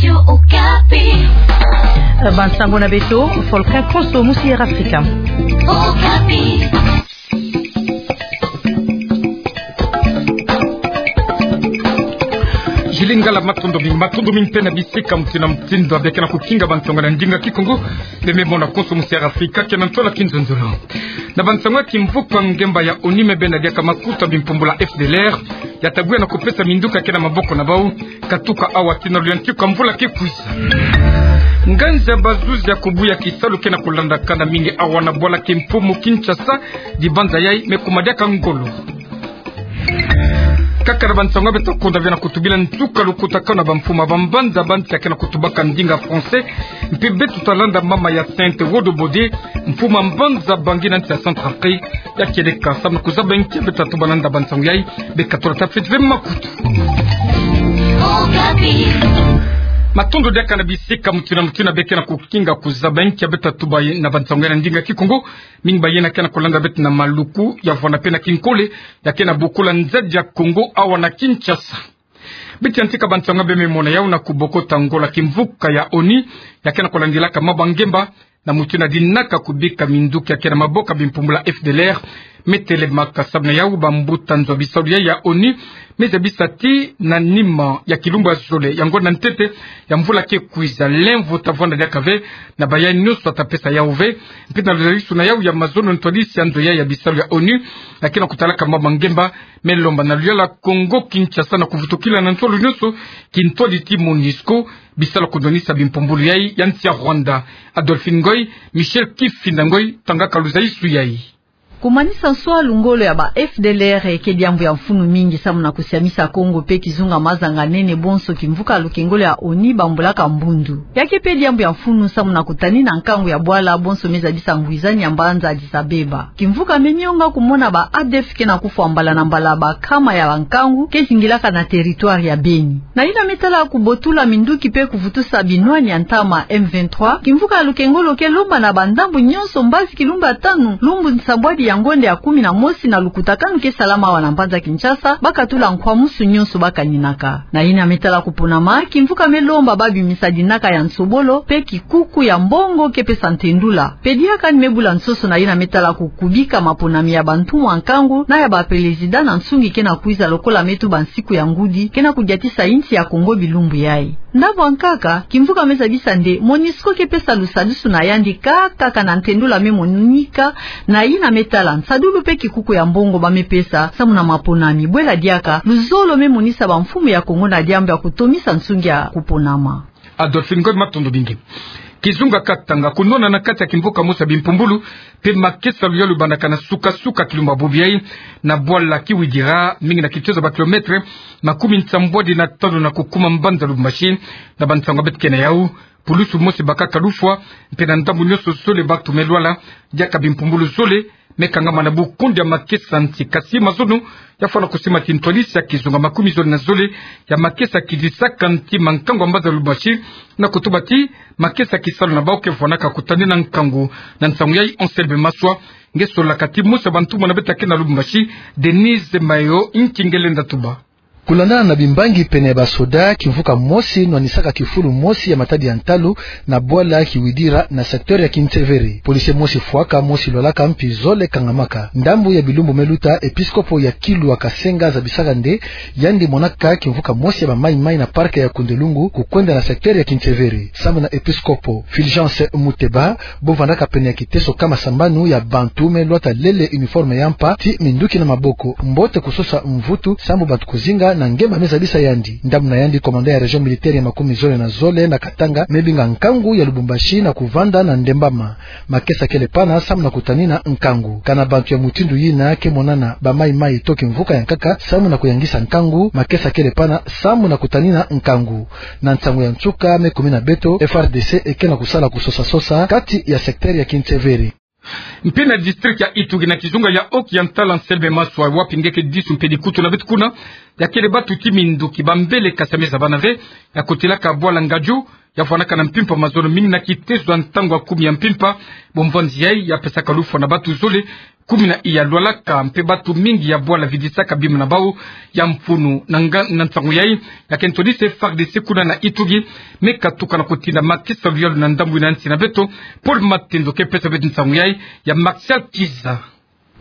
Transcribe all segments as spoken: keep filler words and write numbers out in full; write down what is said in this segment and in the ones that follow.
Okapi. Bansango na beto, Volcan Konso, musi Air Africa. Okapi. Julie Ngala, matondo mingi, matondo mingi mpe na bisika mutindu na mutindu bia ke na kukinga bansango na ndinga Kikongo. Beno me mona Konso, musi Air Africa, ke na ntwala kinzonzolo. Na bansango ya kimvuka ngemba ya ONU, me bena diaka makuta bimpumbulu ya F D L R ya tabwia na kupesa minduki ya ke na maboko na bau, katuka awa tii na luyantika mvula ke kwiza. Nganzi ya bazuzi ya kubuya kisalu ke na kulandakana mingi awa na bwala kimpumu Kinshasa, dibanza yai me kuma diaka ngolo. Kaka na bansango ya beto, kunda bia na kutubila nsuka lukutakanu na bamfumu ya bambanza ba nsi ya ke na kutubaka ndinga français, mpe beto talanda mama ya Sainte Wodo Bode, mfumu ya mbanza Bangui na nsi ya Centrafrique, ya kieleka samu na kuzaba nki ya beta tuba na nda bansango yai. Beka tula tafiti ve makutu. Matondo diaka na bisika mutindu na mutindu bia ke na kukinga kuzaba nki ya beta tuba na bansango yai na ndinga Kikongo. Mingi ba yena ke na kulanda beto na maluku ya vwanda mpe na kinkole, ya ke na bokula nzadi ya Kongo awa na Kinshasa. Biti ya ntika bansango beno me mona yau na kubokota ngolo ya kimvuka ya ONU ya ke na kulandilaka mambu ya ngemba, na mutindu ya dinaka kubika minduki ya ke na maboko ya bimpumbulu ya F D L R me telemaka. Samu na yau, bambuta nzo ya bisalu yai ya ONU me zabisa ti na nima ya kilumbu ya zole ya ngonda ntete ya mvula ke kwiza, lemvo ta vwanda diaka ve na bayai nyonso ya tapesa yau ve. Mpe na luzalisu na yau ya mazono, ntwadisi ya nzo yai ya bisalu ya ONU ya ke na kutalaka mambu ya ngemba me lomba na luyala Kongo Kinshasa na kuvutukila na nsolo nyonso kintwadi ti MONUSCO, bisalu ya kundwanisa bimpumbulu yai ya nsi ya Rwanda. Adolphine Ngoy, Michel Kifinda Ngoy, tangaka luzalisu yai. Kumanisa nswalu ngolo ya ba F D L R ke diambu ya mfunu mingi samu na kusiamisa Kongo mpe kizunga mazanga nene bonso kimvuka lukengolo ya ONU bambulaka mbundu. Ya ke mpe diambu ya mfunu samu na kutanina nkangu ya bwala bonso me zabisa ngwizani ya mbanza Addis Abeba. Kimvuka me nionga kumona ba ADF ke na kufwa mbala na mbala ba nkama ya bankangu ke zingilaka na territoire ya Beni. Na yina me tala kubotula minduki mpe kuvutusa binwani ya ntama M vingt-trois, kimvuka ya lukengolo ke lomba na bandambu nyonso mbazi kilumbu ya tanu, lumbu nsambwadi ya ngonda ya kumi na mosi na lukutakanu ke salama awa na mbanza Kinshasa, ba katula nkwamsu nyonso ba kaninaka. Na yina me tala kuponama, kimvuka me lomba ba bimisa dinaka ya nsobolo mpe kikuku ya mbongo ke pesa ntendula. Mpe diaka ni me bula nsoso na yina me tala kukubika maponami ya bantumwa nkangu na ya bapelezida na nsungi ke na kwiza, lokola me tuba nsiku ya ngudi ke na kudiatisa insi ya Kongo bilumbu yai. Ndambu ya nkaka, kimvuka me zabisa nde MONUSCO ke pesa lusadusu na yandi kaka, kaka na ntendula me monika na yina me tala nsadulu mpe kikuku ya mbongo ba me pesa samu na maponami. Bwela diaka, luzolo me monisa bamfumu ya Kongo na diambu ya kutomisa nsungi ya kuponama. Adolphine Ngoy, matondo mingi. Kizunga Katanga, kunwana na kati ya kimvuka mosi ya bimpumbulu mpe makesa luyalu lubandaka na suka-suka kilumbu ya bubu yai, na bwala Kiwidira, mingi na kitoza ba kilomètre makumi nsambwadi na tanu na kukuma mbanza Lubumbashi. Na bansango beto ke na yau, pulusu mosi bakaka lufwa, mpe na ndambu nyonso zole bantu me lwala, diaka bimpumbulu zole me kangama na bukundi ya makesa nti. Kasi mazono ya fwana kusima ti ntwadisi ya kizunga makumi zole na zole ya makesa kizisaka nti ma nkangu ya mbanza Lubumbashi, na kutuba ti makesa kisalu na bau ke fwanaka kutanina nkangu. Na nsangu yai, Anselme Maswa, nge solaka ti mosi ya bantumwa na beto ya ke na Lubumbashi, Denise Mayo, nki nge lenda tuba. Kulandana na bimbangi pene ya basoda, kimvuka mosi nwanisaka kifulu mosi ya matadi ya ntalu na bwala Kiwidira na secteur ya Kintsevere. Policier mosi fwaka, mosi lwalaka, mpi zole kangamaka. Ndambu ya bilumbu me luta, episkopo ya Kilwa Kasenga zabisaka nde yandi monaka kimvuka mosi ya ba Mai-Mai na parc ya Kundelungu kukwenda na secteur ya Kintsevere. Samu na episkopo Fulgence Muteba, bo vandaka pene ya kiteso kama sambanu ya bantu me lwata lele uniforme ya mpa ti minduki na maboko. Mbote kusosa mvutu samu bantu kuzinga na ngemba me zabisa yandi. Ndambu na yandi, commandant ya région militaire ya makumi zole na zole na Katanga me binga nkangu ya Lubumbashi na kuvanda na ndembama. Makesa kele pana samu na kutanina nkangu. Kana bantu ya mutindu yina ke monana ba Mai-Mai to kimvuka ya nkaka samu na kuyangisa nkangu, makesa kele pana samu na kutanina nkangu. Na nsangu ya nsuka, me kumina beto, F R D C eke na kusala kusosa-sosa kati ya secteur ya Kintsevere. Mpe na district ya Ituri, na kizunga ya Oki ya ntala, Anselme Maswa, wapi nge ke disu mpe dikutu na beto kuna, ya kele batu ti minduki, bambele, kasi ya me zabana ve, ya kotelaka bwala Ngaju, ya vwanaka na mpimpa mazono mingi na kitezo ya ntangu ya kumi ya mpimpa. Bomvanzi yayi ya pesaka lufwa na batu zole kumi na iya lwalaka mpe batu mingi ya bwala vidisaka bima na bau ya mfunu. Na nga-, na nsangu yayi ya kento dise F A R D C kuna na Ituri me katuka na kutinda makesa luyalu na ndambu ina nsi na beto. Paul Matendo ke pesa beto nsangu yayi ya Martial Kiza.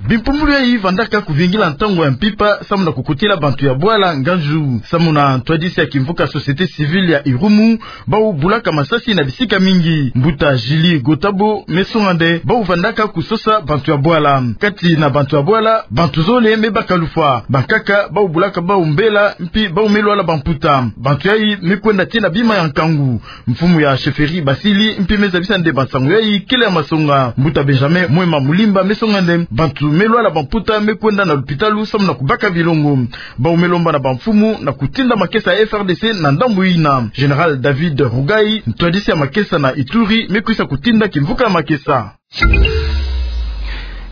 Bimpumbulu yayi vandaka kuvingila ntangu ya mpimpa samu na kukutila bantu ya bwala nganzu. Samu na ntwadisi ya kimvuka société civile ya Irumu, bau bulaka masasi na bisika mingi. Mbuta Julie Gotabo me songa nde bau vandaka kusosa bantu ya bwala. Kati na bantu ya bwala, bantu zole me baka lufwa. Bankaka bau bulaka bau mbela, mpi bau me lwala bamputa. Bantu yayi me kwenda tii na bima ya nkangu. Mfumu ya chefferie Basili mpi me zabisa nde bansangu yayi kele ya masonga. Mbuta Benjamin Mwema Mulimba me songa nde bantu me lwala bamputa me kwenda na lupitalu samu na kubaka bilongo. Bau me lomba na bamfumu na kutinda makesa ya F A R D C na ndambu ina. Général David Rugai, ntwadisi ya makesa na Ituri, me kwisa kutinda kimvuka ya makesa.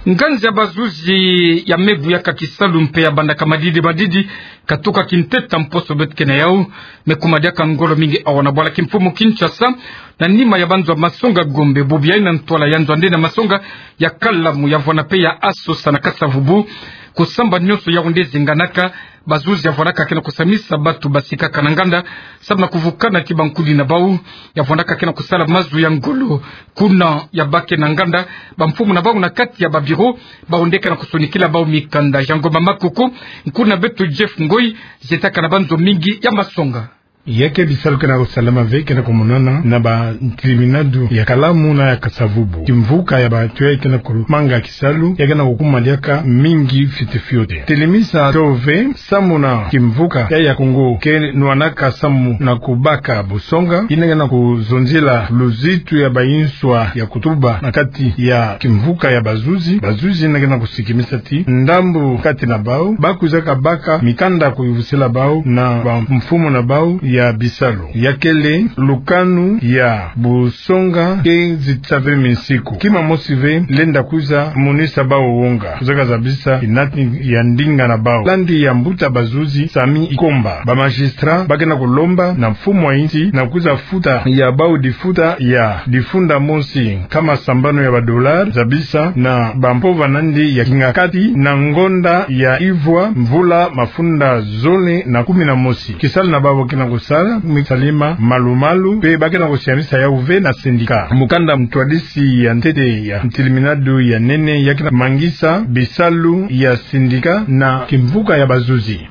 Nganzi ya bazuzi ya me buyaka kisalu mpe ya bandaka madidi madidi katuka kinteta mposo beto ke na yau, me kuma diaka ngolo mingi awa na bwala kimfumu Kinshasa, na nima ya banzo ya masonga Gombe, bubu yayi na ntwala ya nzo ya nde na masonga ya Kalamu, ya vwana mpe ya Asosa na Kasa-Vubu. Kusamba nyonso Yaoundé zinganaka, bazuzi ya vwanaka ke na kusamisa batu basikaka na nganda samu na kuvukana ti bankudi na bau. Ya vwanaka ke na kusala mazu ya ngolo kuna ya bake na nganda, bamfumu na bau na kati ya ba bureau, bau nde ke na kusonikila bau mikanda. Jean Ngoma Makuku, nkuna beto Jeff Ngoyi, zietaka na banzo mingi ya masonga. Ya ke bisalu ke na kusalama ve ke na kumonana na ba ntiliminadu ya Kalamu na ya Kasa-Vubu. Kimvuka ya bantu yayi ke na kumanga kisalu, ya ke na kukuma diaka mingi fiote fiote. Telemisa tio ve samu na kimvuka yayi ya Kongo ke nwanaka samu na kubaka busonga, yina ke na kuzonzila luzitu ya bayinswa ya kutuba na kati ya kimvuka ya bazuzi. Bazuzi yina ke na kusikimisa ti ndambu kati na bau, ba kwizaka baka mikanda kuyuvusila bau na bamfumu na bau ya bisalu. Ya kele lukanu ya bu songa ke zitisa ve minsiku. Kima mosi ve lenda kwiza monisa bau wonga. Kwiza kazabisa inati ya ndinga na bau. Landi ya mbuta bazuzi Sami Ikomba. Ba magistrat ba ke na kulomba na mfumu wa insi na kwiza futa ya bau difuta ya difunda mosi nkama sambanu ya ba dollars, zabisa na bampova nandi ya kingakati na ngonda ya ivwa mvula mafunda zole na kumi na mosi. Kisalu na bau ba ke na kusala, mi salima malu-malu, mpe ba ke na kusiamisa yau ve na syndicat. Mukanda mutwadisi ya ntete ya ntiliminadu ya nene ya ke na mangisa bisalu ya syndicat na kimvuka ya bazuzi.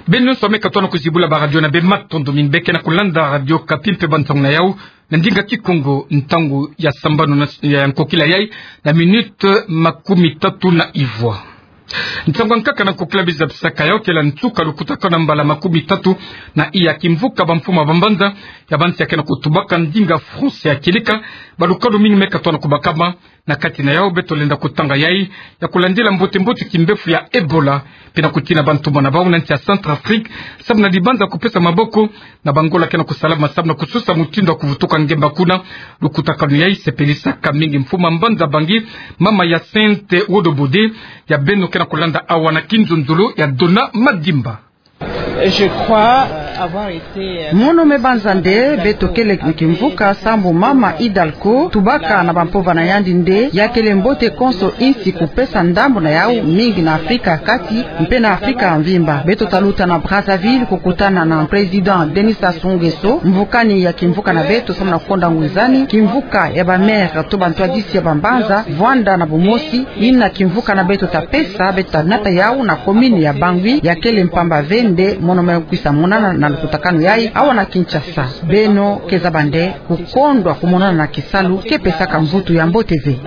Beno nyonso ba me katuka na kuzibula ba radio na beno, matondo mingi. Be ke na kulanda Radio Okapi mpe bansangu na yau na ndinga Kikongo, ntangu ya sambanu na, ya nkokila yayi na minute makumi tatu na ivwa. Nsangu ya nkaka na nkokila biza bisaka yau kele nsuka lukutakanu ya mbala makumi tatu na iya kimvuka bamfumu ya bambanza ya bansi ya ke na kutubaka ndinga français ya kilika. Balukanu mingi me katuka na kubakama. Na kati na yau beto lenda kutanga yayi ya kulandila mbote-mbote kimbefu ya Ebola, mpe na kutina bantumba na bau na nsi ya Centrafrique, samu na dibanza kupesa maboko na bangola ke na kusalama samu na kusosa mutindu ya kuvutuka ngemba kuna. Lukutakanu yayi sepelisaka mingi mfumu ya mbanza Bangui, mama Hyacinthe Wodobode, ya beno ke na kulanda awa na kinzonzolo ya Dona Madimba. Je crois, euh, avoir été, euh, Mono me banza nde beto kele kimvuka sambu mama Hidalgo tubaka na bampova na yandi nde ya kele mbote konso insi kupesa ndambu na yau mingi na Afrika ya Kati mpe na Afrika ya mvimba. Beto taluta na Brazzaville kukutana na président Denis Sassou Nguesso, mvukani ya kimvuka na beto samu na konda ngwizani, kimvuka ya ba maire to bantwadisi ya bambanza, vwanda na bumosi, yina kimvuka na beto tapesa, beto tanata yau na commune ya Bangui, ya kele mpamba ve nde mono me kwisa monana na lukutakanu yayi awa na Kinshasa. Beno ke zaba nde kukondwa kumonana na kisalu ke pesaka mvutu ya mbote ve.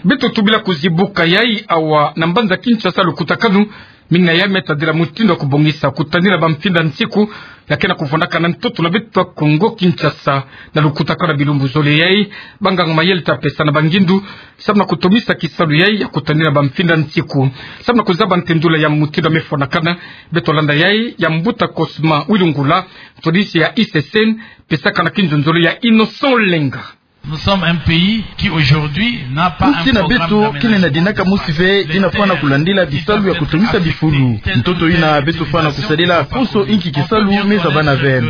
Beto tubila kuzibuka yayi awa na mbanza Kinshasa lukutakanu mingi na yayi me tadila mutindu ya kubongisa kutanina bamfinda nsiku ya ke na kuvwandaka na ntoto na beto ya Kongo Kinshasa. Na lukutakanu ya bilumbu zole yayi, banganga mayele tapesa na bangindu samu na kutomisa kisalu yayi ya kutanina bamfinda nsiku. Samu na kuzaba ntendula ya mutindu ya me fwanakana, beto landa yayi ya mbuta Cosma Wilungula, ntwadisi ya I C C N, pesaka na kinzonzolo ya Innocent Lenga. Nous sommes un pays qui aujourd'hui n'a pas un programme d'aménagement urbain. Nsi na beto kele na dinaka mosi ve ina fwana kulandila bisalu ya kutungisa bifulu. Ntoto ina beto fwana kusadila konso inki kisalu me zabana ve.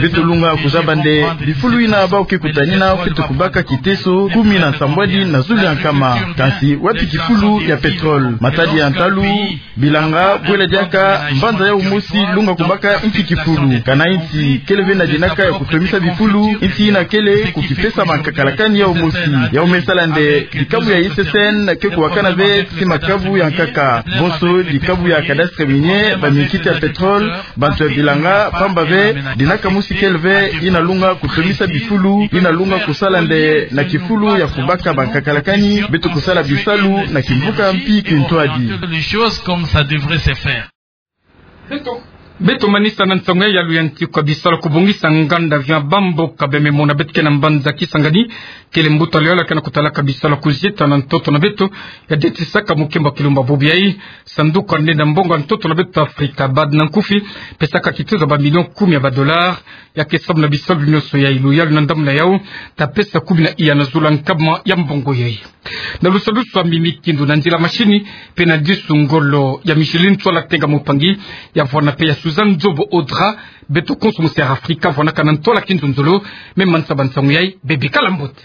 Beto lunga kuzaba nde bifulu ina bau ke kutanina fwete kubaka kiteso kumi na nsambwadi na zulu ya nkama. Kansi wapi kifulu ya pétrole? Matadi ya ntalu, bilanga, bwela diaka mbanza yau mosi lunga kubaka inki kifulu. Kana insi kele ve na dinaka ya kutomisa bifulu, insi ina kele kukipesa mankakalakani yau mosi. Yau me sala nde dikabu ya I S S N ke kuwakana ve ti makabu ya nkaka. Bonso dikabu ya cadastre minier, baminkiti ya pétrole, bantu ya bilanga, pamba ve dinaka mosi kele ve ina lunga kutomisa bifulu, ina lunga kusala nde na kifulu ya kubaka bankakalakani, beto kusala bisalu na kimvuka mpi kintwadi. Les choses comme ça devrait se faire. Beto, beto manisa na nsangu ya luyantikwa bisalu kubongisa nganda vya bamboka bememona beto ke na mbanza Kisangani, kele mbuta luyala ke na kutalaka bisalu kuzieta na ntoto na beto ya detisaka mukembo kilumba bobi yai. Sanduku ya nde na mbongo ya ntoto na beto Afrika, BAD na nkufi, pesaka kitezo ba million kumi ya ba dollars, ya ke samu na bisalu nyonso yai. Luyalu na ndambu na yau, ta pesa kumi na iya na zulu ya nkama ya mbongo yai. Na lusalusu ya mimi kindu na nzila mashini, pe na disu ngolo ya Micheline Tsola Tenga Mupangi, ya vwana pe ya Suzanne Nzobo Audra, beto konso mu Sierra Africa, vwanaka na ntwala kinzonzolo, me manisa ba nsangu yai, bebe kala mbote.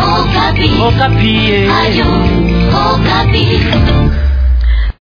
Okapi. Okapi, eh. Radio